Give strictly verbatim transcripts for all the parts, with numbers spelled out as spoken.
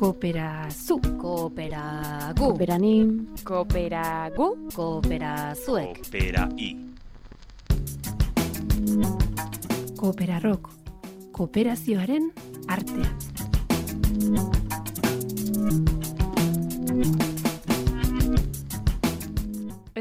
Kooperazu, Kooperagu, kooperanim, Kooperagu, Kooperazuek, Koopera-i. Kooperarrok, kooperazioaren artea.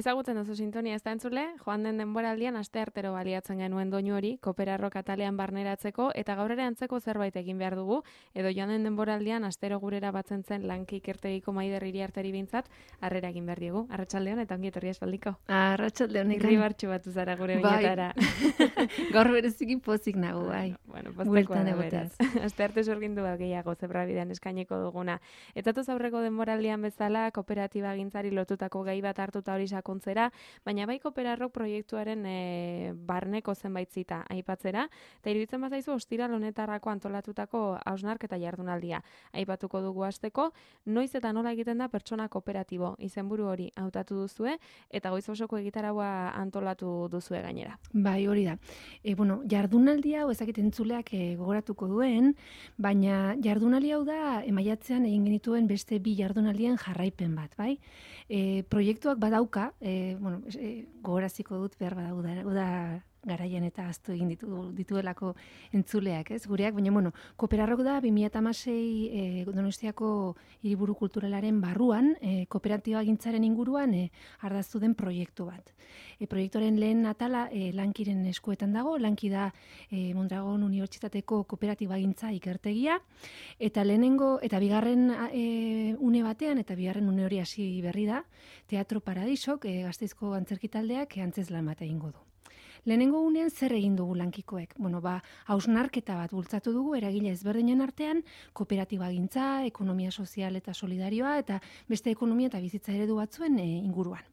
Ezagutzen duzu sintonia ez da entzule, joan den denboraldian asteartero baliatzen genuen doinu hori Kooperarrok atalean barneratzeko eta gaur ere antzeko zerbait egin behar dugu, edo joan den denboraldian astero gurera batzen zen lanki ikertegiko Maider Iriarteri bintzat, harrera egin behar diogu. Arratsaldeon eta ongi etorri espaldiko. Arratsaldeon ikan. Irribartxu batu zara gure oinetara. Gaur bereziki pozik nago, bai. Bueno, postekoa Bueltan da egoteaz. beraz. Astearte sorgindu bat gehiago zebrabidean eskaineko duguna. Etzatoz aurreko denboraldian bezala kooperatiba gintzari lotutako gai bat hartuta hori sakontzera, baina bai Kooperarrok proiektuaren e, barneko zenbait zita aipatzera, eta iruditzen bazaizu ostiral honetarako antolatutako hausnarketa jardunaldia. Aipatuko dugu hasteko, noiz eta nola egiten da pertsona kooperatibo, izenburu hori hautatu duzue, eta goiz osoko egitaraua antolatu duzue gainera. Bai, hori da. E, bueno, jardunaldi hau ezakit entzuleak e, gogoratuko duen, baina jardunaldi hau da emaiatzean egin genituen beste bi jardunaldien jarraipen bat, bai? E, proiektuak badauka, e, bueno, e, gogoraziko dut behar badau da, da garaian eta aztu egin ditu, dituelako entzuleak, ez? Gureak, baina, bueno, Kooperarrok da bi mila hamasei e, Donostiako hiriburu kulturalaren barruan, e, kooperatiba gintzaren inguruan e, ardaztu den proiektu bat. E, proiektuaren lehen atala e, Lankiren eskuetan dago, Lanki da e, Mondragon Unibertsitateko kooperatiba gintza ikertegia, eta lehenengo, eta bigarren e, une batean, eta bigarren une hori hasi berri da, Teatro Paradisok, e, Gasteizko antzerkitaldeak e, antzezlan bat egingo du. Lehenengo unean zer egin dugu lankikoek? Bueno, ba, hausnarketa bat bultzatu dugu eragile ezberdinen artean, kooperatiba gintza, ekonomia sozial eta solidarioa, eta beste ekonomia eta bizitza eredu batzuen e, inguruan.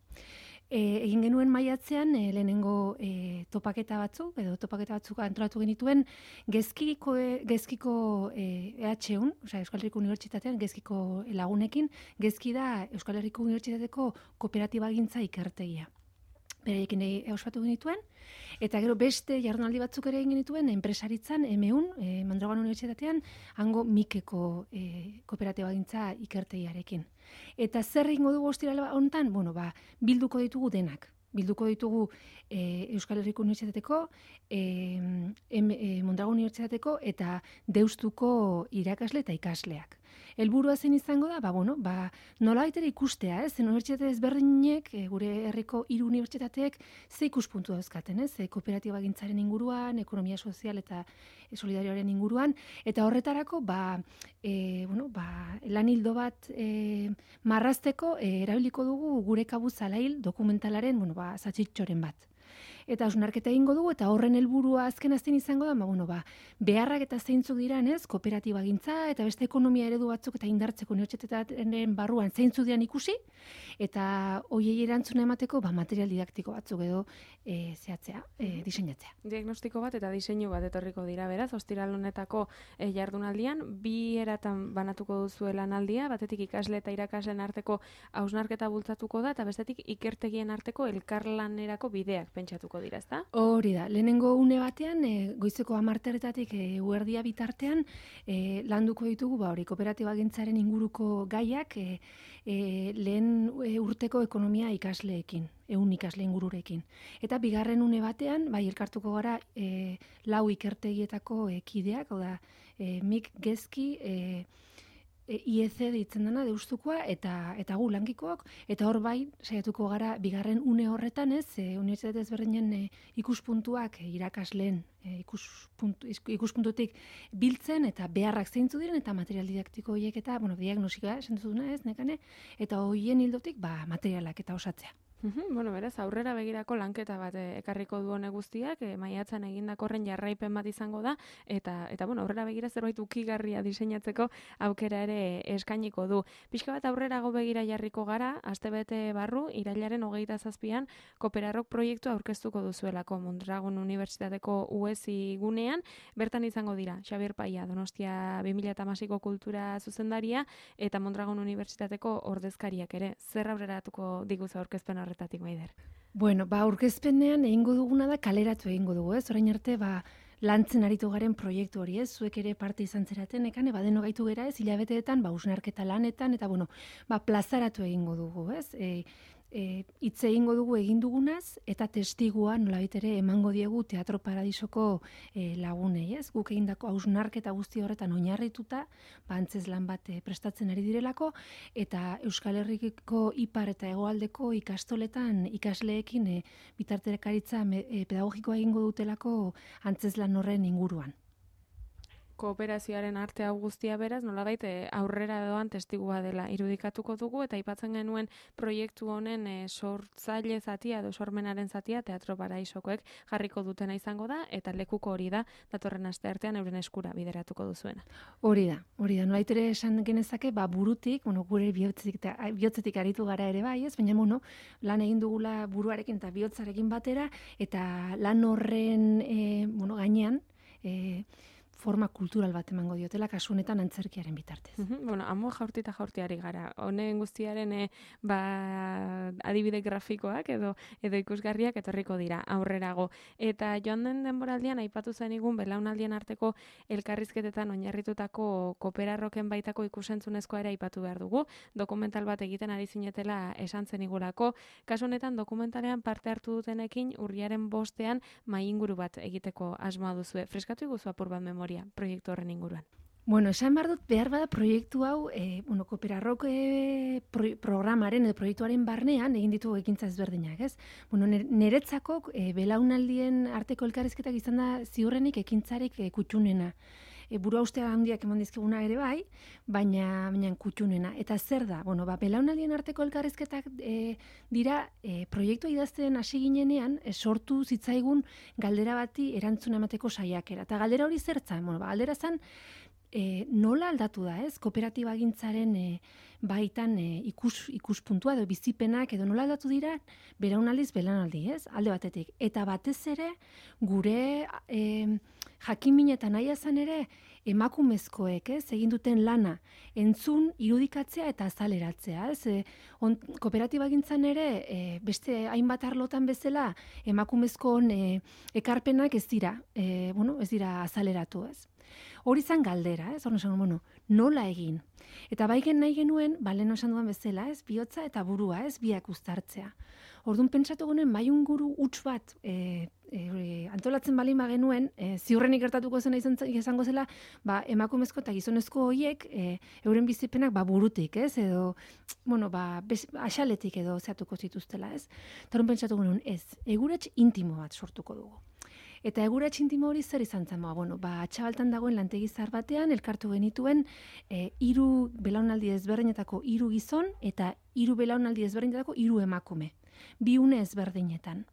E, egin genuen maiatzean e, lehenengo e, topaketa batzuk, edo topaketa batzuk antolatu genituen, gezkiko, e, gezkiko e, E H U, osea, Euskal Herriko Unibertsitatean, gezkiko lagunekin, gezki da Euskal Herriko Unibertsitateko kooperatiba gintza ikertegia. Beraiekin ospatu genituen, eta gero beste jardunaldi batzuk ere egin genituen enpresaritzan, M E U N, e, Mondragon Unibertsitatean, hango Mikeko e, kooperatiba gintza ikertegiarekin. Eta zer egingo dugu ostirala honetan? Bueno, ba, bilduko ditugu denak. Bilduko ditugu e, Euskal Herriko Unibertsitateko, e, e, Mondragon Unibertsitateko eta Deustuko irakasle eta ikasleak. Helburua zen izango da, ba, bueno, ba, nolabait ere ikustea, ez? Unibertsitate ezberdinek, e, gure herriko hiru unibertsitateek ze ikuspuntu dauzkaten, ez? E, kooperatiba gintzaren inguruan, ekonomia sozial eta e, solidarioaren inguruan, eta horretarako, ba, e, bueno, ba, lan hildo bat e, marrazteko e, erabiliko dugu gure kabuz alail dokumentalaren, bueno, ba, zatxitxoren bat. Eta hausnarketa egingo dugu, eta horren helburua azken azten izango da, ba, bueno, ba, beharrak eta zeintzuk diran, ez, kooperatiba gintza, eta beste ekonomia eredu batzuk eta indartzeko unibertsitatearen barruan zeintzuk diran ikusi, eta hoiei erantzuna emateko, ba, material didaktiko batzuk edo e, zehatzea, e, diseinatzea. Diagnostiko bat eta diseinu bat etorriko dira beraz, ostiral honetako e, jardunaldian, bi eratan banatuko duzu lanaldia, batetik ikasle eta irakasleen arteko hausnarketa bultzatuko da, eta bestetik ikertegien arteko elkarlanerako bideak pentsatuko dira, ezta? Hori da, lehenengo une batean, e, goizeko hamarterretatik e, eguerdia bitartean, e, landuko ditugu, ba, hori, kooperatiba gintzaren inguruko gaiak, e, e, lehen e, urteko ekonomia ikasleekin, ehun ikasle ingururekin. Eta bigarren une batean, bai, elkartuko gara e, lau ikertegietako e, kideak, hau da, e, Mik Gezki, e, I E C deitzen dena Deustukoa eta eta gu lankikoak, eta hor bai saiatuko gara bigarren une horretan, ez, e, unibertsitate ezberdinen e, ikuspuntuak e, irakasleen e, ikuspuntu, ikuspuntutik biltzen eta beharrak zeintzu diren eta material didaktiko horiek eta, bueno, diagnostika esan duzuna, ez, nekane, eta hoien hildotik ba materialak eta osatzea. Uhum, bueno, beraz, aurrera begirako lanketa bat eh, ekarriko du hone guztiak, eh, maiatzan egindako horren jarraipen bat izango da, eta, eta bueno, aurrera begira zerbait ukigarria diseinatzeko aukera ere eskainiko du. Pixka bat aurrerago begira jarriko gara, astebete barru, irailaren hogeita zazpian, Kooperarrok proiektua aurkeztuko duzuelako Mondragon Unibertsitateko U E S I gunean, bertan izango dira, Xabier Paia, Donostia bi mila hamaseiko kultura zuzendaria, eta Mondragon Unibertsitateko ordezkariak ere. Zer aurreratuko diguzu aurkezpen horretatik, Maider? Bueno, ba, aurkezpenean egingo duguna da kaleratu egingo dugu, ez? Orain arte, ba, lantzen aritu garen proiektu hori, ez? Zuek ere parte izan zeraten, ekan, eba deno gaitu gera, ez? Hilabeteetan, ba, hausnarketa lanetan, eta, bueno, ba, plazaratu egingo dugu, ez? E, E, hitz egingo dugu egin dugunaz, eta testigua nolabait ere emango diegu Teatro Paradisoko e, lagunei, ez? Guk egindako hausnarketa guzti horretan oinarrituta, ba, antzezlan bat e, prestatzen ari direlako, eta Euskal Herriko ipar eta hegoaldeko ikastoletan ikasleekin e, bitartekaritza e, pedagogikoa egingo dutelako antzezlan horren inguruan. Kooperazioaren arte hau guztia beraz, nolabait aurrera doan testigua dela irudikatuko dugu, eta aipatzen genuen proiektu honen e, sortzaile zatia edo sormenaren zatia Teatro Paradisokoek jarriko dutena izango da, eta lekuko hori da datorren asteartean euren eskura bideratuko duzuena. Hori da, hori da. Nolait ere esan genezake, ba, burutik, bueno, gure bihotzetik, bihotzetik aritu gara ere bai, ez? Baina, bueno, lan egin dugula buruarekin eta bihotzarekin batera, eta lan horren e, bueno, gainean, e, forma kultural bat emango diotela, kasu honetan antzerkiaren bitartez. Uh-huh. Bueno, amo jaurti eta jaurtiari gara. Honen guztiaren e, ba, adibide grafikoak edo edo ikusgarriak etorriko dira aurrerago. Eta joan den denboraldian aipatu zenigun belaunaldien arteko elkarrizketetan oinarritutako kooperarroken baitako ikusentzunezkoa ere aipatu behar dugu. Dokumental bat egiten ari zinetela esan zenigulako. Kasu honetan dokumentalean parte hartu dutenekin urriaren bostean mai inguru bat egiteko asmoa duzue. Freskatu iguzu apur bat memoria proiektu horren inguruan. Bueno, esan behar dut, behar bada proiektu hau, e, bueno, Kooperarrok e, pro, programaren edo proiektuaren barnean egin ditugu ekintza ezberdinak, ez? Bueno, niretzako e, belaunaldien arteko elkarrizketak izan da ziurrenik ekintzarek e, kutxunena. E, buru haustea handiak eman dizkiguna ere bai, baina, baina kutxunena. Eta zer da? Bueno, ba, belaunaldien arteko elkarrizketak e, dira e, proiektua idazten hasi ginenean e, sortu zitzaigun galdera bati erantzuna emateko saiakera. Eta galdera hori zertzan? Bueno, ba, galdera zan, E, nola aldatu da, ez? Kooperatiba gintzaren e, baitan e, ikus, ikuspuntua edo bizipenak edo nola aldatu dira belaunaldiz belaunaldi, ez? Alde batetik. Eta batez ere gure e, jakinmin eta nahi izan ere emakumezkoek, ez? Egin duten lana entzun, irudikatzea eta azaleratzea, ez? E, on, kooperatiba gintzan ere e, beste hainbat arlotan bezala emakumezkoen e, ekarpenak ez dira, e, bueno, ez dira azaleratu, ez? Hori zan galdera, ez? Horren esan, bueno, nola egin? Eta baiken nahi genuen, baleno esan duan bezala, ez? Bihotza eta burua, ez? Biak uztartzea. Orduan pentsatu genuen, bai unguru huts bat e, e, antolatzen balin bagenuen, e, ziurrenik gertatuko zena izan, izango zela, ba, emakumezko eta gizonezko horiek e, euren bizipenak ba, burutik, ez? Edo, bueno, ba, bez, axaletik edo zeatuko zituztela, ez? Eta horren pentsatu genuen, ez, egurats intimo bat sortuko dugu. Eta egurats intimo hori zer izan zen, ba, bueno, ba, Atxabaltan dagoen lantegi zahar batean, elkartu genituen e, hiru belaunaldi ezberdinetako hiru gizon eta hiru belaunaldi ezberdinetako hiru emakume. Bi une ezberdinetan.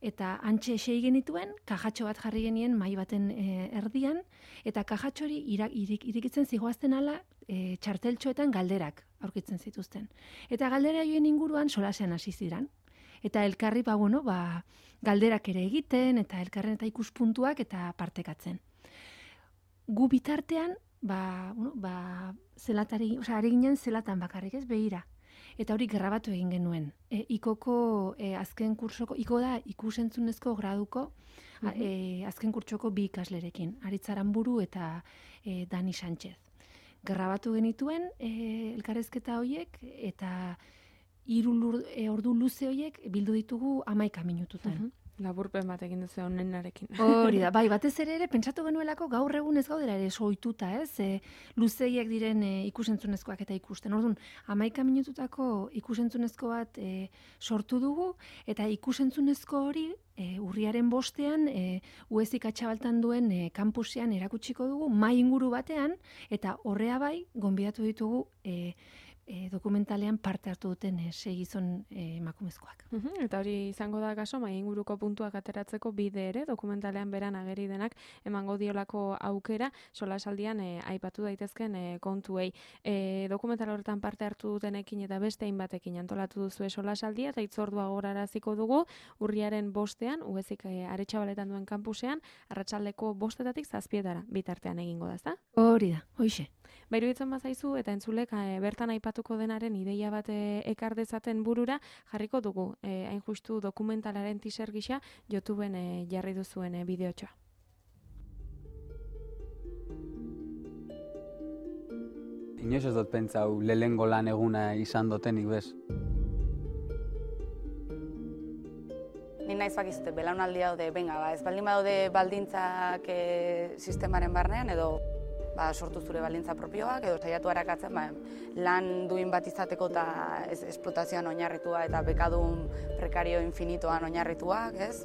Eta antxe esei genituen, kajatxo bat jarri genien mai baten e, erdian, eta kajatxo hori irak, irik, irikitzen zigoazten ala e, txarteltxoetan galderak aurkitzen zituzten. Eta galdera joen inguruan solasean hasi ziren. Eta elkarri, ba, bueno, ba, galderak ere egiten, eta elkarren eta ikuspuntuak eta partekatzen. Gu bitartean, ba, bueno, ba, zelatari, osea, ari ginen zelatan bakarrik, ez, behira. Eta hori grabatu egin genuen. E, ikoko e, azken kursoko, iko da ikusentzunezko graduko, mm-hmm. e, azken kurtsoko bi ikaslerekin, Aritz Aranburu eta e, Dani Sánchez. Grabatu genituen e, elkarrezketa horiek, eta hiru e, ordu luze horiek bildu ditugu hamaika minututan. Uh-huh. Laburpen bat egin duzu honenarekin. Hori da, bai, batez ere ere, pentsatu genuelako gaur egun ez gaudela ere soituta, ez? E, luzeiak diren e, ikusentzunezkoak eta ikusten. Orduan, hamaika minututako ikusentzunezko bat e, sortu dugu, eta ikusentzunezko hori e, urriaren bostean, e, U E S I Atxabaltan duen e, kampusean erakutsiko dugu, mai inguru batean, eta horrea bai, gonbidatu ditugu e, E, dokumentalean parte hartu duten e, sei gizon e, emakumezkoak. Uhum, eta hori izango da kaso, mai inguruko puntuak ateratzeko bide ere, dokumentalean beran ageri denak emango diolako aukera, solasaldian e, aipatu daitezken e, kontuei. E, dokumental horretan parte hartu dutenekin eta beste hainbatekin antolatu duzue solasaldia, eta itzordua goraraziko dugu, urriaren bostean, U E S I Aretxabaletan duen kampusean, arratsaldeko bostetatik zazpietara bitartean egingo da, ezta? Hori da, hoixe. Bairu ditzen bazaizu, eta entzulek e, bertan aipatuko denaren ideia bat e, ekar dezaten burura, jarriko dugu, e, hain justu dokumentalaren teaser gisa, YouTubeen e, jarri duzuen e, bideotxoa. inoiz ez dut pentsau lehengo lan eguna izan dotenik bez. Ni naiz bakizute, belaunaldi daude, benga, ba, ez baldin badaude baldintzak e, sistemaren barnean, edo ba, sortu zure baldintza propioak, edo saiatu arakatzen ba, lan duin bat izateko eta ez, esplotazioan oinarritua eta bekadun prekario infinitoan oinarrituak, ez?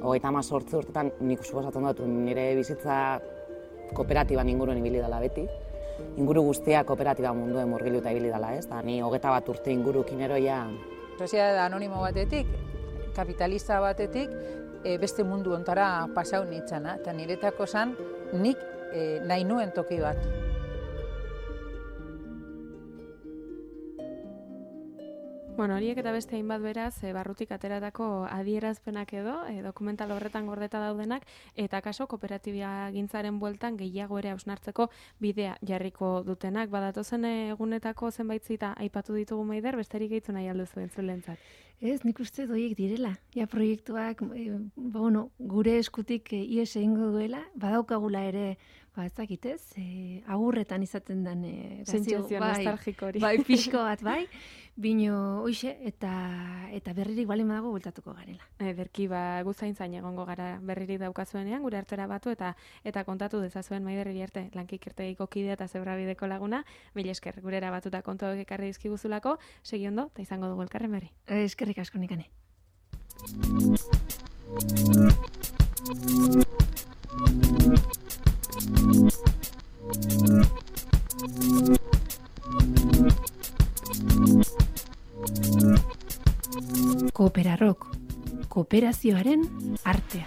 Hogeita hamazortzi urtetan nik suposatzen dut nire bizitza kooperatiban inguruen ibili dela beti. Inguru guztia kooperatiba munduen murgiluta ibili dela, ez? Da, ni hogeita bat urte ingurukin eroia. Soziedade anonimo batetik, kapitalista batetik, e, beste mundu ontara pasau nintzana, eta niretako zan nik e, nahi nuen toki bat. Bueno, horiek eta beste hainbat beraz, e, barrutik ateratako adierazpenak edo, e, dokumental horretan gordeta daudenak, eta kaso kooperatibia gintzaren bueltan gehiago ere hausnartzeko bidea jarriko dutenak. Badatozen egunetako zenbait zita aipatu ditugu Maider, besterik gehitu nahi alduzu entzulentzat. Ez, nik uste doiek direla. Ja, proiektuak, e, bueno, gure eskutik e, ies egingo duela, badaukagula ere, ba, ez dakitez, e, agurretan izaten den e, sentsazio nostalgiko hori. Bai, pixko bat, bai, bino hoixe, eta, eta berririk balin badago bueltatuko garela. Ederki, ba, guzaintzain egongo gara berririk daukazuenean, gure artera batu eta eta kontatu dezazuen Maider Iriarte, lankikirtegiko kidea eta zebrabideko laguna, mila esker, gurera batuta kontuak ekarri dizkiguzulako, segi ondo, eta izango dugu elkarren berri. Eskerrik asko Nekane. Kooperarok, kooperazioaren artea.